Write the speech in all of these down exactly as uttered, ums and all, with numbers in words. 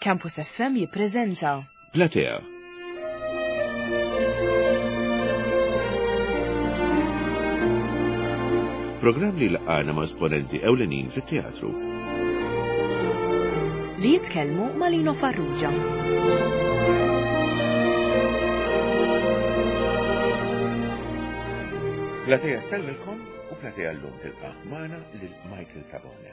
Campus F M jippreżenta Platea. Programm li laqgħana ma' esponenti ewlenin fit-teatru. Li jitkellmu ma' Lino Farrugia. Platea sellmilkom u Platea llum tilqa' magħna lil Michael Tabone.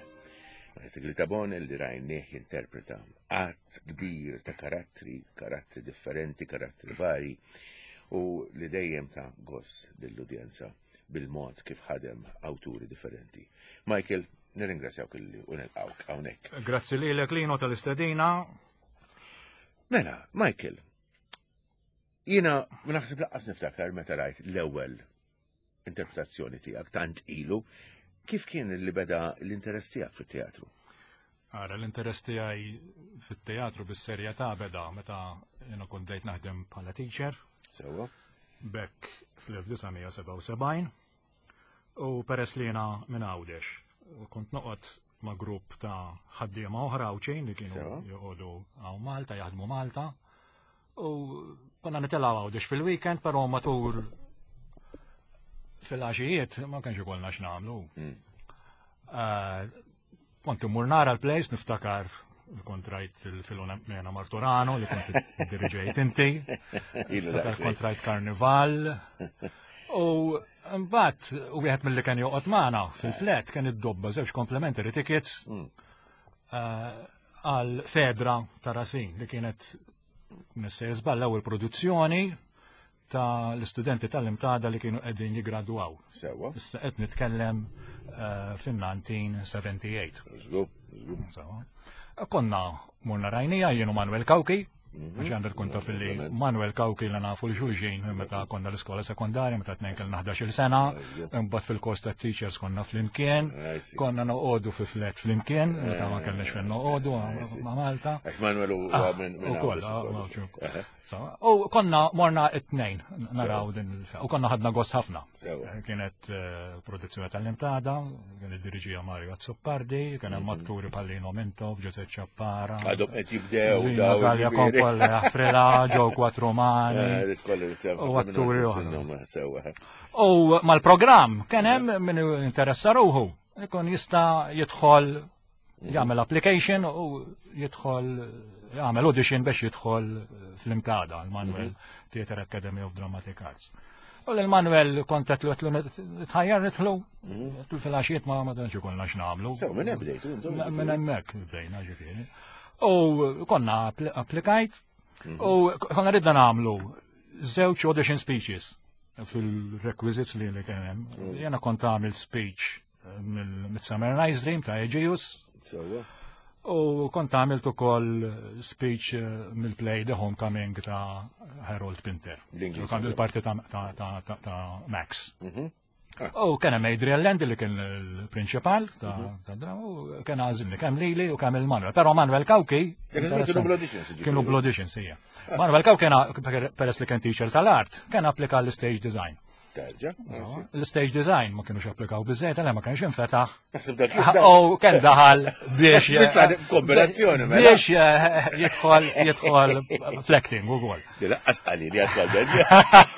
Michael Tabone li rajnieh jinterpreta għadd kbir ta' karattri, karattri differenti, karattri vari, u li dejjem ta' gost lill-udjenza bil-mod kif ħadem awturi differenti. Michael, nirringrazzjawk illi u nilqawk hawnhekk. Grazzi lilek Lino tal-istedina. Mela, Michael, jiena naħseb laqqas niftakar meta rajt l-ewwel interpretazzjoni tiegħek tant ilu, kif kien li beda l-interess tiegħek fit-teatru? Ara, l-interess tiegħi fit-teatru bis-serjetà beda meta jiena kont bdejt naħdem bħala teacher. Sewwa. Bekk fl-elf disa' mija sebgħa u sebgħin. U peress li jiena minn Għawdex, u kont noqgħod ma' grupp ta' ħaddiema oħra Għawdxin li kienu Sewwa. joqogħdu hawn Malta, jaħdmu Malta. U konna nitilgħu Għawdex fil-weekend, però matul fil-għaxijiet ma kienx ikollna x'nagħmlu. Mm. Eh, kont immur nara l-plays, niftakar li kont rajt il-Filomena Marturano li kont diriġejt inti. Ilu Niftakar daqshekk. kont rajt Karnival. U mbagħad wieħed mill-li kien joqgħod magħna fil-flat kien iddobba żewġ complimentary tickets Mm. eh, għal Fedra ta' Racine li kienet nissejjer żball l-ewwel produzzjoni ta' l-istudenti tal-imtada li kienu qegħdin jiggradwaw. Sewwa. Issa qed nitkellem, eh, fin-nineteen seventy-eight. Żgur, żgur. Sewwa. Konna morna rajnija jien u Manuel Cauchi, Mhm. għax għandek kont taf li Ovvjament. Manuel Cauchi li nafu l-xulxin meta konna l-iskola sekondarja, meta tnejn kellna ħdax-il sena, Ejja. imbagħad fil-kors ta' teachers konna flimkien, I see. konna noqogħdu fi flat flimkien, meta ma kellniex fejn noqogħdu I see. ma' Malta. Għax Manuel huwa Ah, minn minn ukoll, Għawdex ah, ukoll. ma' ċu. Eħe. So, u konna morna it-tnejn naraw din il-fe-, u konna ħadna gost ħafna. Sewa. Kienet, eh, produzzjoni tal-Imtada, kien id-diriġija Mario Azzopardi, kien hemm Mhm. atturi bħal Lino Mintoff, Giuseppe Ciappara. Għadhom qed jibdew Lino daw, Gallia ġifieri. Kompolla, Frela, Joe Quattromani. Eh, l-iskola li tsemma U ħafna atturi minnhom oħra. sinnhom sewa. U mal-programm kien hemm min interessa ruħu, ikun jista' jidħol jagħmel application u jidħol jagħmel audition biex jidħol fl-Imtada, l-Manuel Mhm. Theatre Academy of Dramatic Arts. U l-Manuel kont qed għedtlu nitħajjar nidħlu, Mhm. għedtlu fil-għaxijiet ma ma tantx ikollna x'nagħmlu. Sew, minn hemm bdejtu, intom Minn ġifieri. hemmhekk bdejna ġifieri. U konna appli-, applikajt Mhm. u konna ridna nagħmlu żewġ audition speeches fil-requisites li li kien hemm. Mhm. Jiena kont għamilt speech mill-Midsummer Night's Dream ta' Egeus. Sewwa. U kont għamilt ukoll speech, eh, mill-play The Homecoming ta' Harold Pinter. L-Ingliż U kont ukoll. il-parti ta', ta', ta', ta', ta' Max. Mhm. Ah. U kien hemm Adrian Land li kien il-prinċipal ta' Mhm. ta' drama, u kien għażilni kemm lili u kemm il-Manuel. Però Manuel Cauchi Kienu interessanti. bl-auditions, ġifieri. Kienu bl-auditions, ija. Manuel Cauchi kien peress li kien teacher tal-art, kien applika l-stage design. Terġa', No, L-stage design ma kienux applikaw biżejjed, għalhekk ma kienx infetaħ. Naħseb dak kif daħal. U kien daħal biex Issa kombinazzjoni, mela. Biex, eh, jidħol, jidħol fl-acting ukoll. Li laqqas qali li għatwal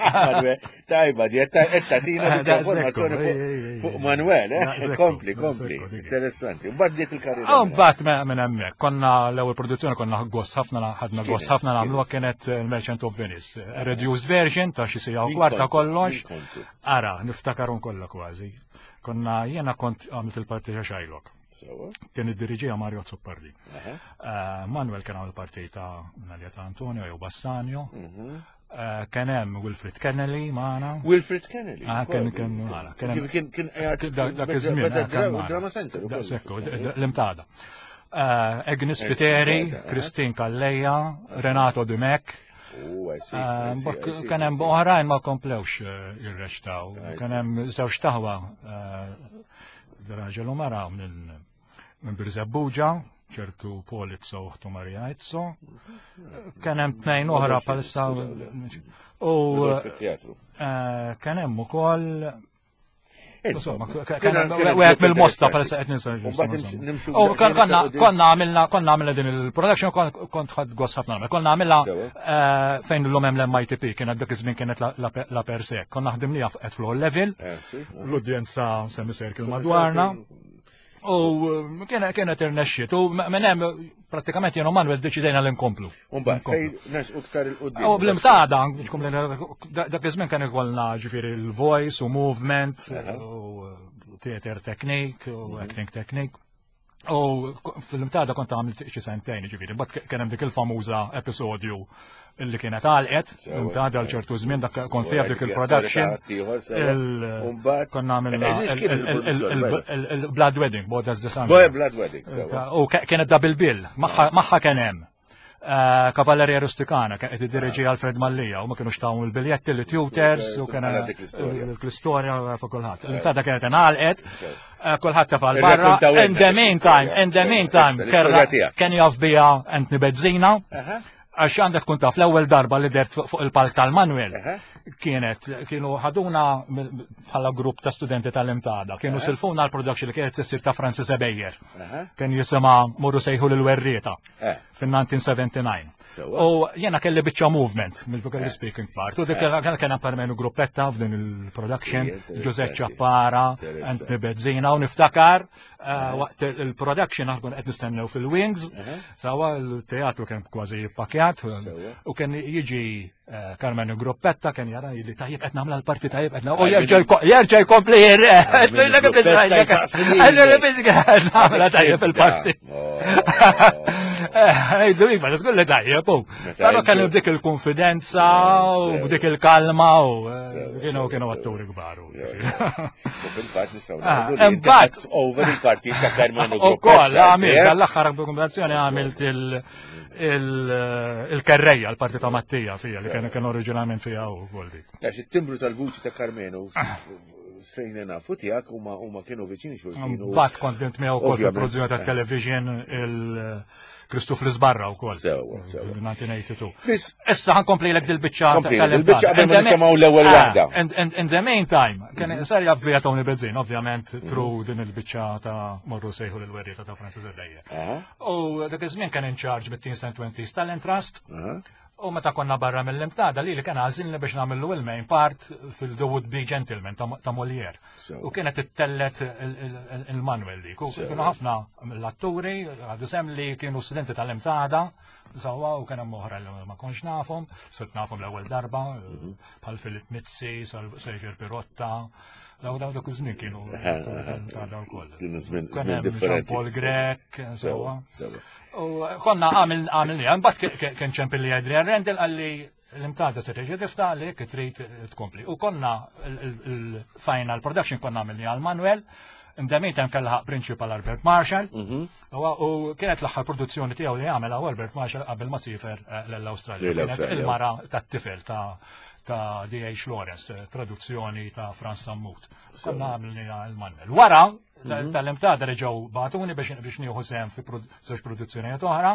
Manuel, tajba, di qed tagħtina Eh, dik daqshekk, informazzjoni ej, fuq- ej, ej, fuq ej. Manuel, eh? Daqshekk, Kompli, daqshekk, kompli. dik. Interessanti. Mbagħad dik il-karriera. U mbagħad me-, minn hemmhekk konna l-ewwel produzzjoni konna gost ħafna, ħadna gost Kienet, ħafna nagħmluha kienet il-Merchant of Venice. Reduced version ta' xi sija u Min kwarta kontu? kollox. Min kontu? Ara, niftakarhom kollha kważi. Konna jiena kont għamilt il-parti ta' Shylock. Sewwa. Kien id-diriġija Mario Azzopardi. Aha. Eh, Manuel kien għamil parti ta' Nadia ta' Antonio jew Bassanio. Mhm. Eh, kien hemm Wilfred Kennelly magħna. Wilfred Kennelly. Ah, kien, kien magħna. Kien hemm Kien, kien, kien, Dak, dak iż-żmien, beda eh, kien dra- magħna. Drama Center ukoll. Daqshekk, d-, d-, l-imtada. Eh, Agnes Agnes Spiteri, Spiteri, eh. Christine Calleja, Renato Dimech. Oh, I see, Eh, I see, mbagħad I see, kien I hemm see. oħrajn ma komplewx, eh, jirrextaw. I Kien see. hemm żewġ taħwa, eh, raġel u mara minn, minn Birżebbuġa, ċertu Paul Izzo u uħtu Maria Izzo. Kien hemm tnejn oħra Ma bħalissa dawx u, Ma dawx fit-teatru. eh, kien hemm ukoll Insomma, wieħed mill-mosta palissa qed ninsa. U konna konna għamilna konna għamilna din il-production, kont ħadt gost ħafna nagħmel. Konna għamilna eh, fejn l-lum hemm l-M I T P, kienet dak iż-żmien kienet la per se. Konna ħdimniha at floor level, eh, l-udjenza semicircle madwarna. U kienet irnexxiet u minn hemm prattikament jien u Manuel deċidejna li nkomplu. Mbagħad fejn nersqu iktar 'il quddiem. U bl-Imtada, dak iż-żmien kien ikollna ġifieri il-voice u movement u theater technique u mhm. acting technique. U fil-Imtada kont għamilt xi sentejn ġifieri, but kien hemm dik il-famuża episodju illi kienet għalqet, Imtada għal ċertu żmien, dak kont fiha dik il-production. Konna għamilna il-Blood Wedding, Bodas de San. Blood Wedding. U kienet double bill, magħha kien hemm eh, Cavalleria Rusticana, kien qed iddireġi Alfred Mallia, u ma kienux tawhom il-biljetti li tutors u kien l-istorja fuq kulħadd. L-Imtada kienet ingħalqet, eh, kulħadd tefa' barra. In the meantime, in the meantime, kien jaf bija Anthony Bezzina, għax għandek tkun taf, l-ewwel darba li dert fuq il-palk tal-Manuel kienet kienu ħaduna bħala grupp ta' studenti tal-Imtada. Kienu silfuna l-production li kienet issir ta' Francis Ebejer. Kien jisimha Morru Sejħu l-Werrieta eh. fin-elf disa' mija u sebgħa u disgħin. U jena kelli biċċa movement, mill speaking part. U dik kien permenu gruppetta f'din il-production, Giuseppe Ciappara, Anthony Bezzina, u niftakar eh, waqt il-production aħna qed nistennew fil-wings, sawa l-teatru kien kważi pakjat, u kien jiġi eh, Carmen Gruppetta, kien jara li tajjeb qed nagħmel l-parti, tajjeb qed u jerġa' jkompli nagħmel tajjeb il-parti. Ejdu, iva, żgur li tajjeb, u. Però kien b'dik il-konfidenza u b'dik il-kalma u kienu kienu atturi kbar. U fil-fatt nistgħu ngħidu over il-parti ta' Carmen Gruppetta. Ukoll, għamilt, għall-aħħar kombinazzjoni għamilt il-kerreja, l-parti ta' Mattija fija, li kien kien oriġinalment fija u kol dik. Għax it-timbru tal-vuċi ta' Karmenu sejna nafu tiegħek huma huma kienu viċini xulxin. Bat kont bint miegħu wkoll fil-produzzjoni ta' television il-Kristu fl-Isbarra wkoll. Sewa, sewa. elf disa' mija u tnejn u disgħin. Issa ħa nkomplilek dil-biċċa. Dil-biċċa qabel ma nisimgħu l-ewwel ah, waħda. In the meantime, kien sar jaf bija Tony Bezzin, ovvjament through din il-biċċa ta' Morru Sejħu l-Werrieta ta' Francis Ebejer. U dak iż-żmien kien in charge mit-Teens and Twenties Talent Trust. U meta konna barra mill-Imtada li li kien għażilni biex nagħmlu il-main part fil-The Would Be Gentleman ta' Molière. U kienet ittellet il-Manuel dik. U kienu ħafna l-atturi, għadu sem li kienu studenti tal-Imtada, sawa u kien hemm oħra li ma kontx nafhom, sirt nafhom l-ewwel darba, mhm. bħal Filip Mizzi, Xavier Pirotta, daw daw dak iż-żmien kienu tal wkoll. Kienu żmien differenti. Paul Grech, sawa. U konna għamil għamil mbagħad kien ċempil li Adrian Rendell, qalli l-Imtada se terġa' tiftaħ li jekk trid tkompli. U konna il-final production konna għamilni għal Manuel, indemit hemm kellha principal Albert Marshall, mhm. u kienet l-aħħar produzzjoni tiegħu li għamel Albert Marshall qabel ma siefer eh, l-Awstralja. Il-mara tat-tifel ta' ta' D H. Lawrence, eh, traduzzjoni ta' Franz Sammut. Konna għamilni il-Manuel. Wara, mhm. tal-Imtada reġgħu bagħtuni biex biex nieħu sehem fi żewġ produzzjonijiet oħra.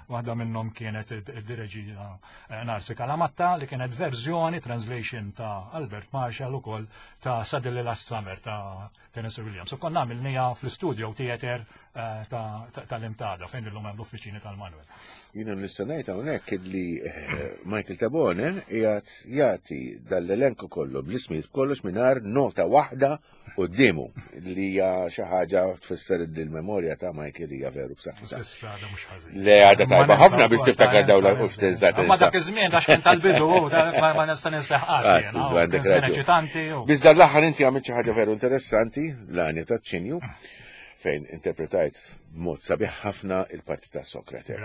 Waħda minnhom kienet id-direġija eh, Narsi Kalamatta, li kienet verżjoni, translation ta' Albert Marshall ukoll, ta' Suddenly Last Summer ta' Tennessee Williams. U konna għamilniha fl-studio theater eh, tal-Imtada fejn illum hemm l-uffiċini tal-Manuel. Jiena nista' ngħid hawnhekk li eh, Michael Tabone qiegħed jagħti dal-elenku kollu bl-ismijiet kollox mingħajr nota waħda quddiemu, li hija xi ħaġa tfisser li l-memorja ta' Michael hija veru b'saħħitha. Le, għadha tajba ħafna biex tiftakar dawn u x'tinsa. Ma dak iż-żmien għax kien tal-bidu ma nista' ninseħ qatt. Biss dan l-aħħar inti għamilt xi ħaġa veru interessanti, L-Għanja taċ-Ċinju, fejn interpretajt b'mod sabiħ ħafna il-parti ta' Sokrate.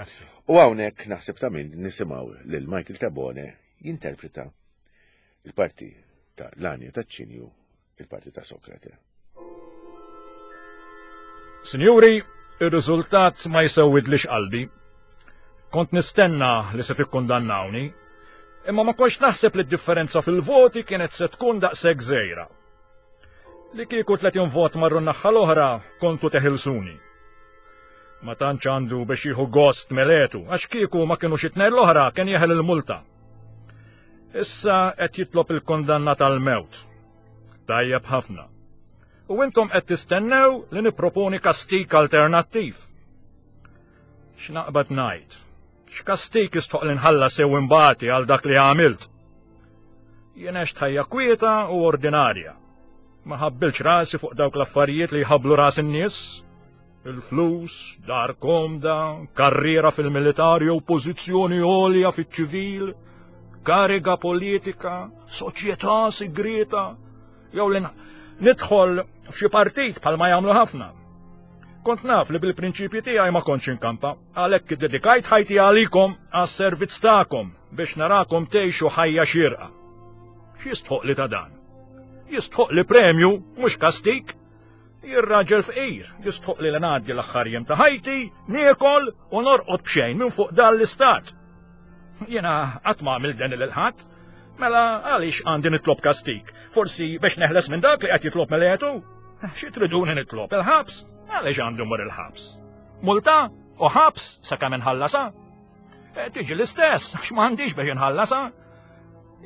U hawnhekk naħseb ta' min nisimgħu lil Michael Tabone jinterpreta il-parti ta' L-Għanja taċ-Ċinju, il-parti ta' Sokrate. Sinjuri, ir-riżultat ma jsewwidlix qalbi. Kont nistenna li se tikkundannawni, imma ma kontx naħseb li d-differenza fil-voti kienet se tkun daqshekk żgħira. Li kieku tletin vot marru n-naħa l-oħra, kontu teħilsuni. Ma tantx għandu biex jieħu gost Meletu, għax kieku ma kienu xi tnejn l-oħra kien jeħel il-multa. Issa qed jitlob il-kondanna tal-mewt. Tajjeb ħafna. U intom qed tistennew li nipproponi kastik alternattiv. X'naqbad ngħid? X'kastik jistħoq li nħallas sew imbagħti għal dak li għamilt? Jien għext ħajja kwieta u ordinarja. Ma ħabbilx rasi fuq dawk l-affarijiet li jħabblu ras in-nies. Il-flus, dar komda, karriera fil-militar jew pożizzjoni għolja fiċ-ċivil, kariga politika, soċjetà sigrieta, jew li nidħol f'xi partit bħalma jagħmlu ħafna. Kont naf li bil-prinċipji tiegħi ma kontx inkampa, għalhekk iddedikajt ħajti għalikom għas-servizz tagħkom biex narakom tgħixu ħajja xierqa. X'jistħoq li ta' dan? Jistħoq li premju, mhux kastik. Jien raġel fqir, jistħoq li ngħaddi l-aħħar jiem ta' ħajti, niekol u norqod b'xejn minn fuq dan l-istat. Jiena qatt ma għamilt dan lil ħadd, mela għaliex għandi nitlob kastik? Forsi biex neħles minn dak li qed jitlob Meletu? Xi triduni nitlob il-ħabs? Għaliex għandu mur il-ħabs? Multa u ħabs sakemm inħallasa? Tiġi l-istess, għax m'għandix biex inħallasa.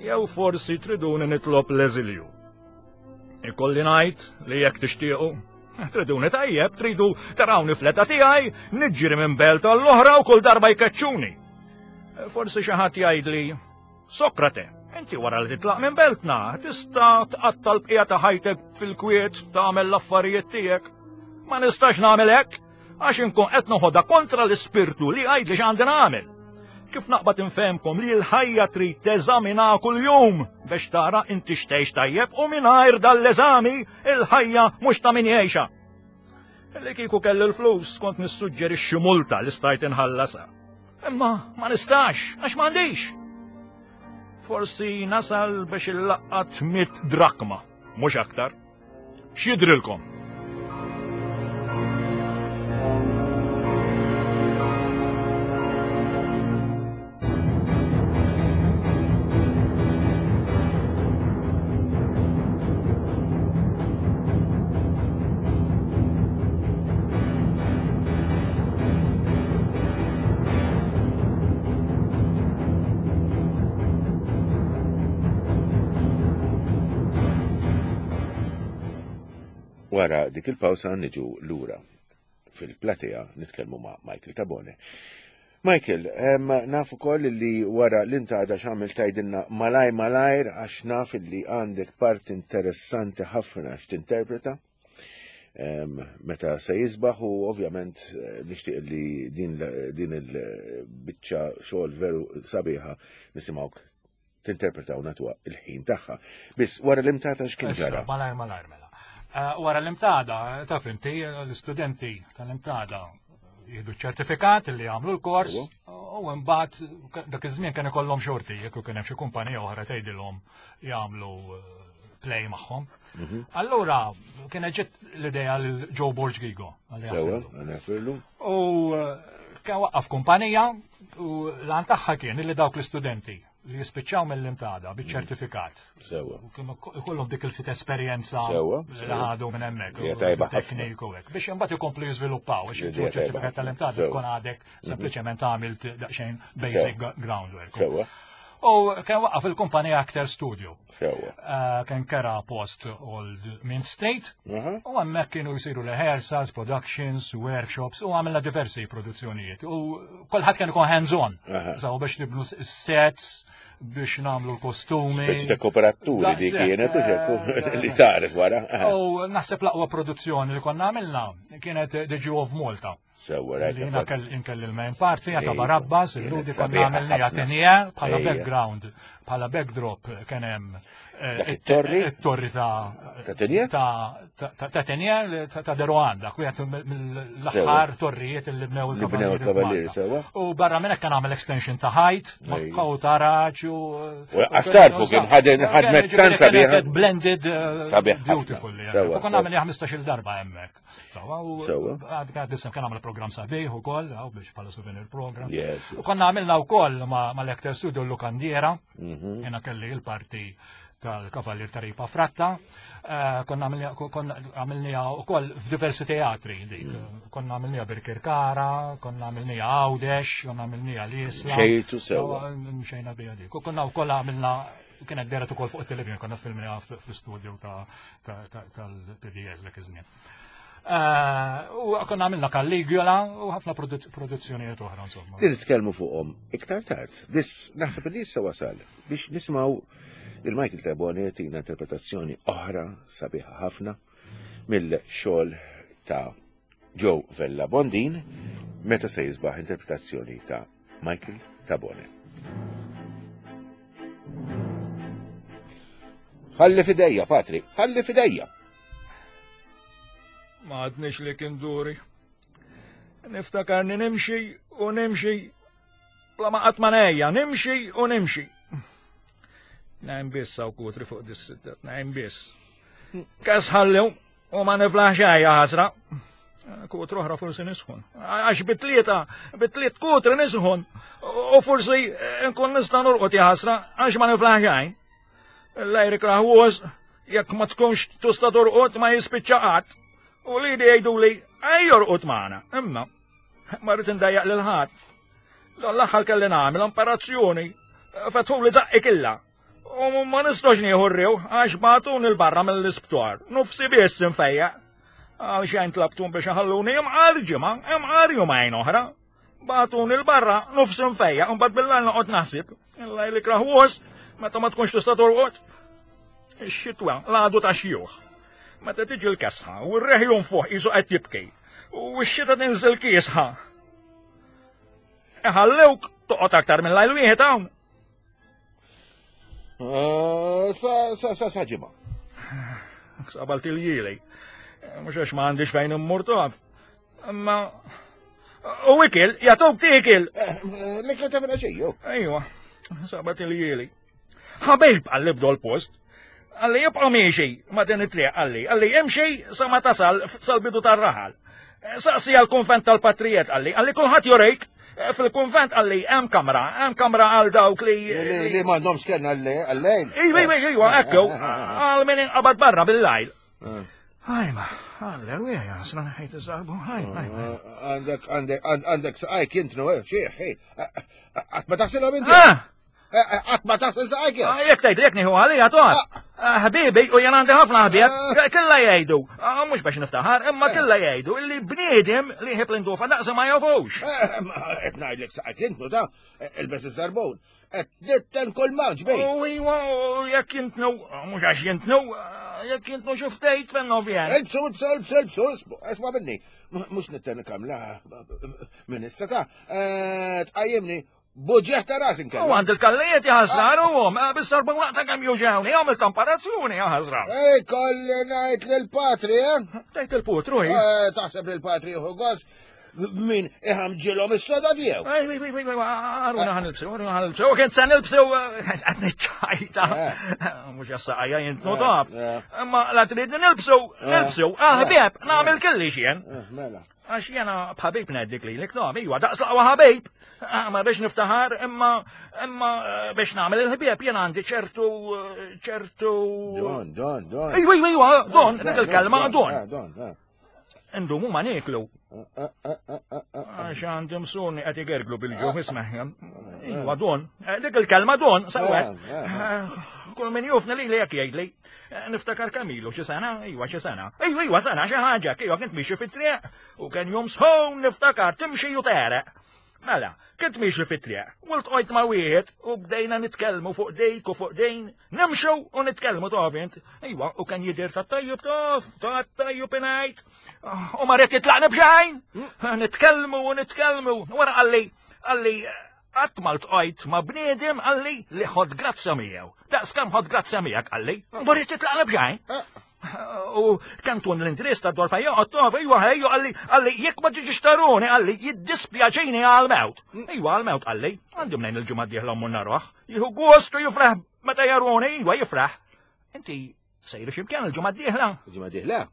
Jew forsi triduni nitlob l-eżilju. Ikolli ngħid li jekk tixtiequ, triduni tajjeb, tridu tarawni fl-età tiegħi, niġri minn belt għall-oħra u kull darba jkeċċuni. Forsi xi ħadd jgħidli, Sokrate, inti wara li titlaq minn beltna, tista' tqatta' l-bqija ta' ħajtek fil-kwiet tagħmel l-affarijiet tiegħek. Ma nistax nagħmel hekk, għax inkun qed noħodha kontra l-ispirtu li jgħidli x'għandi nagħmel. Kif naqbad infehmkom li l-ħajja trid teżamina kuljum biex tara inti x'tgħix tajjeb u mingħajr dal-eżami il-ħajja mhux ta' min jgħixha. Li kieku kelli l-flus kont nissuġġerixxi multa li stajt inħallasha. Imma ma nistax għax m'għandix. Forsi nasal biex illaqqat mitt drakma, mhux aktar. X'jidrilkom? Wara dik il-pawsa niġu lura fil-platea nitkellmu ma' Michael Tabone. Michael, naf ukoll li wara l-intada x'għamil tgħidilna malaj malajr għax naf li għandek part interessanti ħafna x'tinterpreta meta se jisbaħ u ovvjament nixtieq li din din il-biċċa xogħol veru sabiħa nisimgħuk tinterpreta u natwa il-ħin tagħha. Biss wara l-imtata x'kien ġara? Malajr malajr mela. Wara l-imtada, taf inti, l-istudenti tal-imtada jieħdu ċertifikat li għamlu l-kors u mbagħad dak iż-żmien kien ikollhom xorti jekk kien hemm xi kumpanija oħra tgħidilhom jagħmlu play magħhom. Allura kienet ġiet l-idea lil Joe Borg Gigo. Sewa, għanafirlu. U kien waqqaf kumpanija u l-għan tagħha kien li dawk l-istudenti li jispiċċaw mill-imtada biċ-ċertifikat. Sewa. U kienu ikollhom dik il-ftit esperjenza Sewa, li ħadu minn hemmhekk. Hija tajba ħafna. Tekniku hekk. Biex imbagħad ikomplu jiżviluppaw biex Idea tajba ċertifikat ħafna. tal-imtada Sewa. tkun għadek sempliċement għamilt daqsxejn basic groundwork. Sewa, U kien waqqaf il-kumpanija Actor Studio. sewa. Eh, Kien kera post Old Mint Street. Aha. U hemmhekk kienu jsiru rehearsals, productions, workshops u għamilna diversi produzzjonijiet. U kulħadd kien ikun hands-on. Aha. So biex nibnu sets, biex nagħmlu l-kostumi. Speċi ta' kooperaturi di Daqshekk, kienet u xekku eh, li saret wara. Aha. U naħseb l-aqwa produzzjoni li konna għamilna kienet The Jew of Malta. Sewa, rajt. Li jiena kell inkelli l-main party, ta' Ejja, Barabbas, kienet il-Ludi konna sabiħa għamilna ħafna. Atenija bħala Ejja. background, bħala backdrop kien hemm eh, Dak it-torri? it-torri ta' Ta' Tenje? Ta' ta' ta' Tenje, ta' ta' Deroanda, kwiet mill-aħħar torrijiet li bnew Li bnew il-Kavallieri il-Kavallieri, f'Malta. sewa. U barra minn hekk kien għamel extension ta' ħajt, Ejja. ma' taraġ u. U għax tarfu kien ħaden- ħadmet san sabiħa. Kienet blended eh, Sabiħ ħafna. beautiful. Sewa, U konna sewa. għamilni ħmistax-il darba hemmhekk. Sewa, u Sewa. għad għad issa kien għamel program sabiħ ukoll, għaw biex bħala souvenir program. Yes, U yes. konna għamilna wkoll ma' mal-Actor Studio l-Lukandiera, Mhm. jena kelli il-parti tal-Kavallier ta' Ripa Fratta, eh, konna għamilnija u koll f'diversi teatri dik. Mm. Konna għamilnija Birkirkara, konna għamilnija Għawdex, konna għamilnija l-Isla. Xejtu sewa. Mxejna bija dik. U konna u koll għamilna Kienet dehret ukoll fuq it-television, konna filmina fl-studio tal-P B S dak iż-żmien. U konna għamilna Caligula u ħafna produzzjonijiet oħra, insomma. Li nitkellmu fuqhom iktar tard. Dis naħseb li issa wasal biex nisimgħu il-Michael Tabone tina interpretazzjoni oħra sabiħa ħafna mill-xogħol ta' Joe Vella Bondin, Meta Se Jisbaħ, interpretazzjoni ta' Michael Tabone. Ħalli fidejja, Patri, ħalli fidejja. Ma għadnix li kien duri. Niftakarni nimxi u nimxi. Bla ma qatt ma nejja, nimxi u nimxi. Nejn biss hawn kutri fuq dis-sidda, nejn biss. Kas ħallew u ma niflaħ xejn ħasra. Kutru oħra forsi nisħon. Għax bitlieta, bitliet kutri nisħon. U forsi nkun nista' norqod ħasra għax ma niflaħ xejn. L-ajri kraħwos, jekk ma tkunx tista' torqod ma jispiċċa qatt. U li jgħidu li ej jorqod magħna. Imma ma rrid indajjaq lil ħadd. L-aħħar kelli nagħmel operazzjoni. Fetħu li zaqqi killa. U ma nistax nieħu rriw għax bagħtuni 'l barra mill-isptar. Nufsi biss infejjaq. Għal xejn tlabtum biex ħalluni imqar ġimgħa, imqar jumejn oħra. Bagħtuni 'l barra nufsi nfejjaq, u mbagħad bil-lejl noqgħod naħseb. Il-lejl ikraħwos meta ma tkunx tista' torqod. Ix-xitwa l-għadu ta' xjuħ. Meta tiġi l-kesħa u r-reħ jonfoħ qisu qed jibki. U x-xita tinżel kiesħa. Iħallewk toqgħod aktar minn lajl wieħed hawn. Sa sa sa sa ġimgħa. Sabalt il-jili. Mhux għax ma għandix fejn immur taf. Imma u ikel, jagħtuk tiekil. L-ikla ta' filgħaxija. Ejwa, sabat il-jili. Ħabib qalli bdu l-post. Qalli jibqa' miexi ma' din it-triq qalli. Qalli imxi sa ma tasal sal-bidu tar-raħal. Saqsi għal-konvent tal-patrijiet qalli. Qalli kulħadd jurik. Fil-konvent qalli hemm kamra, hemm kamra għal dawk li. Li m'għandhomx kenna għal-lejl. Ejwa, ejwa, ejwa, ekku, għal min inqabad barra bil-lajl. Ajma, alleluja, jasna ħajt iż-żarbu, ajma, ajma. Għandek, għandek, għandek saqajk jintnu, xieħ, qatt ma taħsilhom inti. Qatt ma taħsil saqajk. Jekk tgħid jekk nieħu għalija toqgħod. Ħbibi, u jien għandi ħafna ħbieb, killa jgħidu, mhux biex niftaħar, imma killa jgħidu illi bniedem li jħib l-indufa daqs ma jafux. Qed ngħidlek saqajk jintnu ta' ilbes iż-żarbun. Qed nitten kull manġ bej. U iwa, jekk jintnu, mhux għax jintnu, jekk jintnu xi ftit fin-novjen. Ilbsu, ilbsu, ilbsu, ilbsu, isma' minni. Mhux nitten kamla minn issa ta' tqajjimni buġieħ ta' ras inkella. U għand il-kallijiet jaħasra u għom, bis-sarba waqta kemm juġawni, għamil tamparazzjoni jaħasra. Ej, kolli ngħid lill-patri, eh? Tgħid il-putru, hi? Taħseb li l-patri jieħu gost min iħamġilhom is-soda tiegħu. Ej, ej, ej, għaruna ħanilbsu, għaruna ħanilbsu, u kien se nilbsu, qed niċċajta. Mhux jassaqajja jintnu taf. Imma la trid nilbsu, nilbsu, ah ħbieb, nagħmel kelli xien. Mela. Għax jena bħabib ngħidlik lilek, no, iwa, daqs laqwa ħabib. Ma biex niftaħar, imma imma biex nagħmel il-ħbieb jena għandi ċertu ċertu. Don, don, don. Ejwa, ejwa, ejwa, don, dik il-kelma don. Don, don. Indumu ma nieklu. Għax għandi msuni qed igerglu bil-ġuħ, isma'. Iwa, don. Dik il-kelma don, sewwek. Kull min jufni li li jekk jgħidli. Niftakar Kamilu xi sena, iwa xi sena. Ejwa, iwa sena xi ħaġa, iwa kint miexi fit-triq u kien jum sħon niftakar timxi u tereq. Mela, kint miexi fit-triq, u ltqajt ma' wieħed u bdejna nitkellmu fuq dejk u fuq dejn, nimxu u nitkellmu taf int. Iwa, u kien jidher tat-tajjub taf, tat-tajjub ingħid. U ma rrid jitlaqni b'xejn. Nitkellmu u nitkellmu. Wara qalli, qalli qatt ma ltqajt ma' bniedem qalli li ħod grazzja miegħu. Daqs kemm ħod grazzja miegħek qalli, ma rrid jitlaqni b'xejn. U kemm tkun l-interess ta' dwar fejn joqgħod taf, iwa ħejju qalli, qalli jekk ma tiġix taruni qalli jiddispjaċini għall-mewt. Iwa għall-mewt qalli, għandi mnejn il-ġimgħa d-dieħla mmur naruh. Jieħu gost u jifraħ meta jaruni, iwa jifraħ. Inti sejru x'imkien il-ġimgħa d-dieħla? Il-ġimgħa d-dieħla?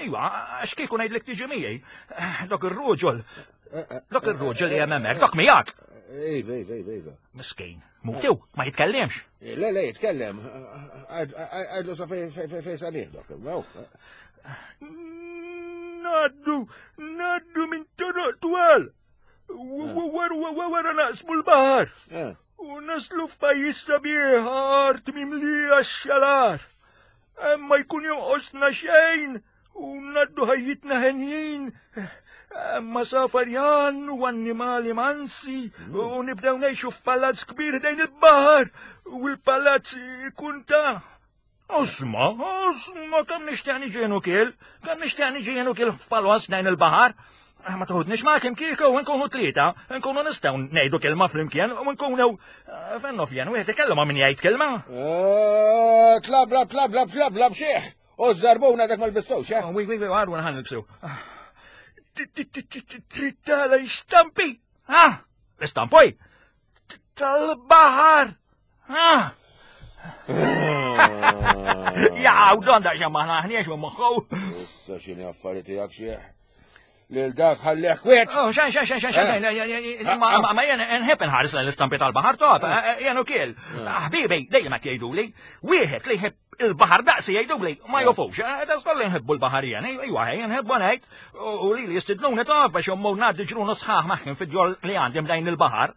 Iwa, għax kieku ngħidlek tiġi miegħi. Dok ir-ruġol. Dok ir-ruġol li hemm hemmhekk, dok miegħek. Iva, iva, iva, iva. Miskin, muktew, ma jitkellimx. Le, le, jitkellem. Għadlu sa fej sa nieħdok. Naddu, naddu minn toroq twal. Wara naqsmu l-baħar. U naslu f'pajjiż sabiħ, art mimlija x-xalar. Ma jkun jonqosna xejn u ngħaddu ħajjitna henjin. Ma safarjan u annimali mansi u nibdew ngħixu f'palazz kbir ħdejn il-baħar u l-palazz ikun ta' Osma, osma, kemm nixtieq niġi jien ukiel, kemm nixtieq niġi jien ukiel f'palazz ħdejn il-baħar. Ma toħodniex ma kemm kieku nkunu tlieta, nkunu nistgħu ngħidu kelma flimkien u nkunu fennu fjen, wieħed ikellem ma' min jgħid kelma. Tlablab, tlablab, tlablab, xieħ! U żarbuna dak ma lbistux, eh? Wi, wi, wi, għarru nħan nilbsu. Trid tara xtampi? Ha? Istampoj? Tal-baħar! Ha? Jaqaw, don daqsxejn maħna ħniex minn moħħu. Issa x'inhi affari tiegħek xieħ? Lil dak ħallih kwiet. Oh, xejn, xejn, xejn, xejn, xejn, ma jien nħebb inħares l-istampi tal-baħar tof, jien ukiel. Ħbibi, dejjem hekk jgħiduli, wieħed li jħebb il-baħar daqsi jgħiduli, ma jofux, da żkoll nħebbu l-baħar jien, ejwa ħej, nħebbu ngħid, u li li jistidnuni tof biex immur ngħaddi ġrunu sħaħ magħhom fid-djol li għandi mdejn il-baħar,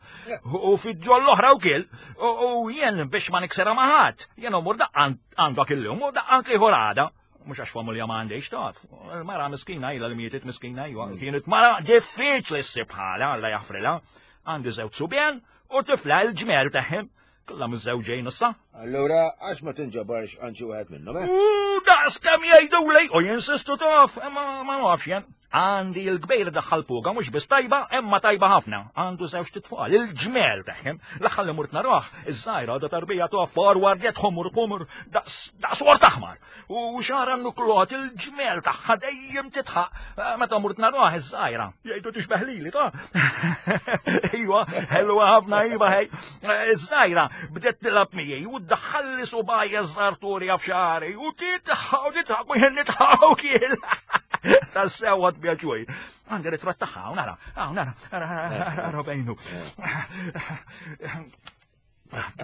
u fid-djol l-oħra wkiel, u jien biex ma niksera ma' ħadd, jien immur daqqa għandok illum u daqqa għand l-ieħor għada. Mhux għax familja ma għandix taf. Il-mara miskina ilha li mietet miskina iwa. Kienet mara diffiċli ssib bħalha, Alla jaħfrilha. Għandi żewġ subien u tifla l-ġmel tagħhom. Kollha miżżewġejn issa. Allura għax ma tinġabarx għand xi wieħed minnhom, eh? U daqs kemm jgħiduli u jinsistu taf, imma ma nafx jien. Għandi l-kbir daħħal puga mhux biss tajba, imma tajba ħafna. Għandu żewġ titfal, il-ġmel tagħhom. L-aħħar li mort narah, iż-żgħira għadha tarbija taf forward ħomur ħomur daqs daqs wart aħmar. U xara nuklot il-ġmel tagħha dejjem titħaq. Meta mort narah iż-żgħira, jgħidu tixbeh lili ta'. Ejwa, ħelwa ħafna iva ħej. Iż-żgħira bdiet tilgħab miegħi u ddaħħalli subgħajja żgħarturja f'xagħri u titħaq u titħaq u jien nitħaq ukiel. Tassew għad bjaġuj. Għandi ritratt tagħha, hawn nara, hawn nara, ara, ara, ara fejnu.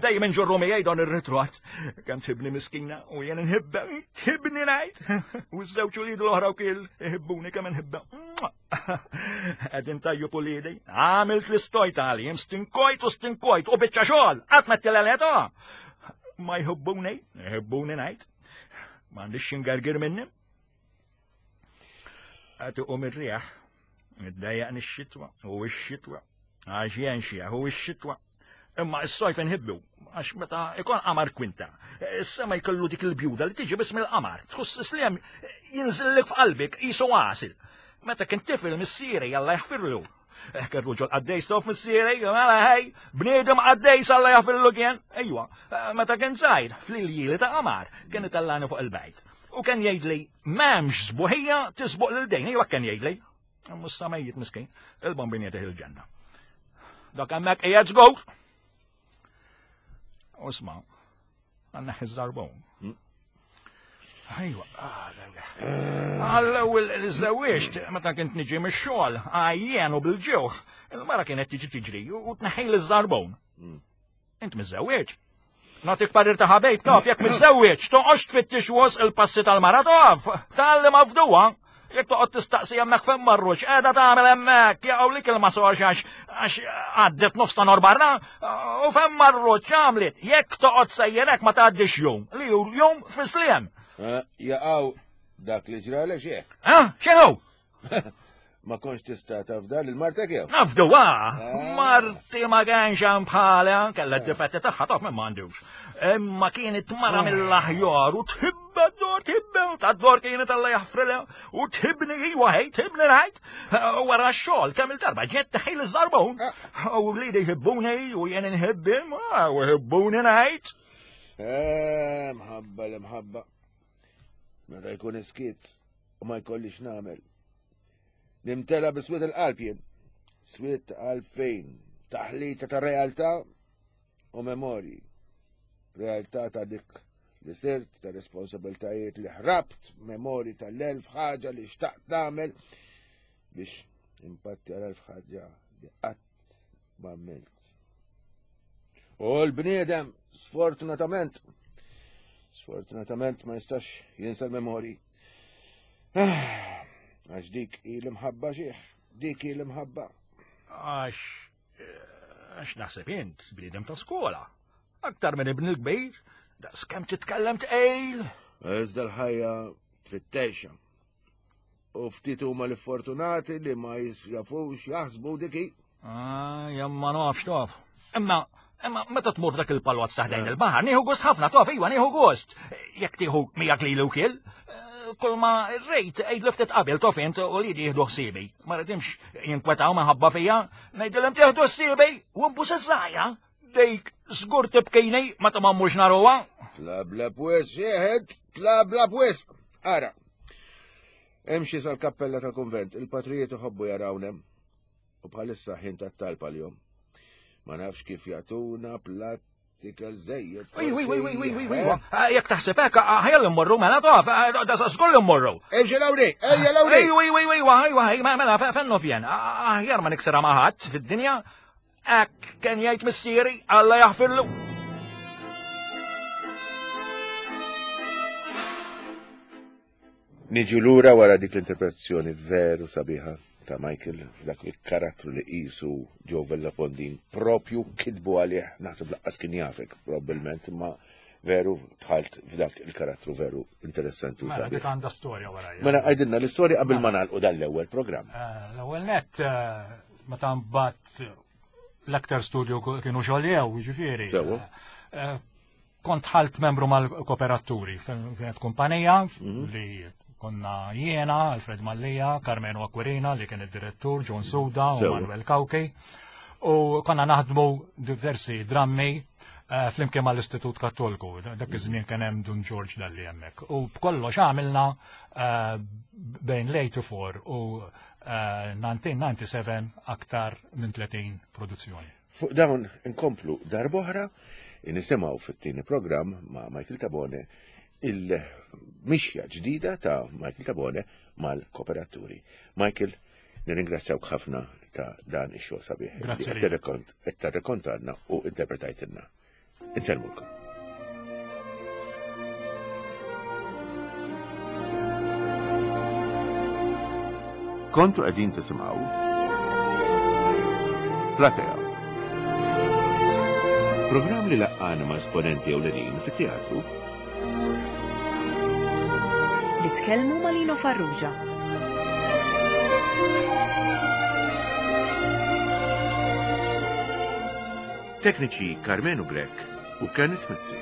Dejjem inġorru miegħi dan ir-ritratt. Kemm tħibni miskina u jien inħibba, tħibni ngħid. U ż-żewġ ulied l-oħra wkiel iħibbuni kemm inħibba. Qegħdin tajjeb uliedi. Għamilt l-istojt għalihom, stinkojt u stinkojt u biċċa xogħol, qatt ma ttileleta. Ma jħibbuni, jħibbuni ngħid. M'għandix xingergir minni. Qed iqum ir-riħ, iddejjaqni x-xitwa, u x-xitwa, għax jien xieħ u x-xitwa. Imma s-sajf inħibbu, għax meta ikun qamar kwinta, is-sema jkollu dik il-bjuda li tiġi biss mill-qamar, tħoss islem jinżillek f'qalbek qisu għasil. Meta kien tifel missieri Alla jaħfirlu. Hekk ir-ruġol qaddejs tof missieri, mela ħej, bniedem qaddejs Alla jaħfirlu kien. Ejwa, meta kien żgħir, fl-iljieli ta' qamar, kien itellani fuq il-bejt. U kien jgħidli, m'hemmx sbuħija tisbuq lil dejn, ejwa kien jgħidli. Mhux sa mejjit miskin, il-bombin jagħtih il-ġenna. Dak hemmhekk qiegħed żgur. Usma, għandna ħiż-żarbun. Ejwa, għall-ewwel li żewwiġt, meta kint niġi mix-xogħol, għajjen u bil-ġewħ, il-mara kienet tiġi tiġri u tneħħi l-żarbun. Int miżżewwieġ? Nagħtik parir ta' ħabejb taf, jekk miżżewwieġ, toqgħodx tfittix wos il-passi tal-mara taf, talli mafduha. Jekk toqgħod tistaqsi hemmhekk fejn marruċ, qiegħda tagħmel hemmhekk, jaqgħu lik il-masox għax għax għaddiet nofs ta' nor barra, u fejn marruċ għamlet, jekk toqgħod sejjerek ma tgħaddix jum, li hu jum fis-sliem. Jaqgħu dak li ġralek xieħ. Ha, x'inhu? Ma kontx tista' tafda lil martek jew? Nafduha! Marti ma kienx hemm bħalha, kellha d-difetti tagħha taf min m'għandux. Imma kienet mara mill-aħjar u tħibba d-dor, tħibba, tad-dor kienet Alla jaħfrilha u tħibni iwa ħej, tħibni ngħid. Wara x-xogħol kemm il-darba ġiet tħejl iż-żarbun. U wliedi jħibbuni u jien inħibbhom, u jħibbuni ngħid. Eh, mħabba l-imħabba. Meta jkun iskiet u ma jkollix nagħmel. Nimtela biswiet il-qalb jien. Swiet qalb fejn? Taħlita ta' realtà u memorji. Realtà ta' dik li sirt, ta' responsabiltajiet li ħrabt, memorji tal-elf ħaġa li xtaqt nagħmel biex impatti għal elf ħaġa li qatt ma għamilt. U l-bniedem, sfortunatament, sfortunatament ma jistax jinsa l-memorji. Għax dik hi l-imħabba xieħ, dik hi l-imħabba. Għax Għax naħseb int bniedem ta' skola. Aktar minn ibn il-kbir, daqs kemm titkellem tqejl. Iżda l-ħajja trid tgħixha. U ftit huma l-fortunati li ma jafux jaħsbu diki. Ah, jemma nafx taf. Imma, imma meta tmur f'dak il-palwazz ta' ħdejn il-baħar, nieħu gost ħafna taf, iwa nieħu gost. Jekk tieħu miegħek lili wkiel, kull ma rejt għidli ftit qabel taf int u li jieħdu ħsiebi. Ma rridimx jinkwetaw minħabba fija, ngħidilhom tieħdu ħsiebi u nbus iż-żgħira. Dejk żgur tibkejni meta ma mmurx naruha. Tlabla pwis, xieħed, tlabla pwis. Ara, imxi sal-kappella tal-konvent, il-patrijiet iħobbu jarawnem. U bħalissa ħin tat-talb għal-jom. Ma nafx kif jagħtuna platt ikel żejjed. Wi, wi, wi, wi, wi, wi, wi. Jekk taħseb hekk, ħajja mmorru mela taf, da żgur li mmorru. Imxi Lawri, ejja Lawri. Ej, wi, wi, wi, wi, wi, mela fennu fjen. Aħjar ma niksirha ma' ħadd fid-dinja. Hekk kien jgħid missieri, Alla jaħfirlu. Niġu lura wara dik l-interpretazzjoni veru sabiħa ta' Michael f'dak il-karattru li qisu Joe Vella Pondin propju kitbu għalih, naħseb laqqas kien jafek probabbilment, imma veru dħalt f'dak il-karattru veru interessanti u Mela, dik sabiħ. għandha storja wara. Mela għajdilna l-istorja qabel ma nagħlqu dan l-ewwel programm. Eh, L-ewwel net, eh, meta mbagħad l-aktar studio kienu xogħol jiġifieri. Sewwa. Eh, Kont ħalt membru mal-kooperaturi, kienet kumpanija li konna jiena, Alfred Mallia, Carmeno Aquilina li kien id-direttur, John Suda u Sewwa. Manuel Cauchi. U konna naħdmu diversi drammi eh, flimkien mal-Istitut Kattoliku. Dak iż-żmien kien hemm Dun George Dalli hemmhekk. U b'kollox għamilna eh, bejn l-eighty-four u eh, nineteen ninety-seven aktar minn tletin produzzjoni. Fuq dawn inkomplu darb'oħra, nisimgħu fit-tieni programm ma' Michael Tabone il-mixja ġdida ta' Michael Tabone mal-kooperaturi. Michael, nirringrazzjawk ħafna ta' dan ix-xogħol sabiħ. Grazzi Li lilek. qed tirrekont-, qed tirrekontalna u interpretajtilna. Insellmulkom. Kontu qegħdin tisimgħu Platea. Programm li laqqana ma' esponenti ewlenin fit-teatru Li tkellmu ma' Lino Farrugia. Tekniċi Carmenu Grech u Kenneth Mizzi.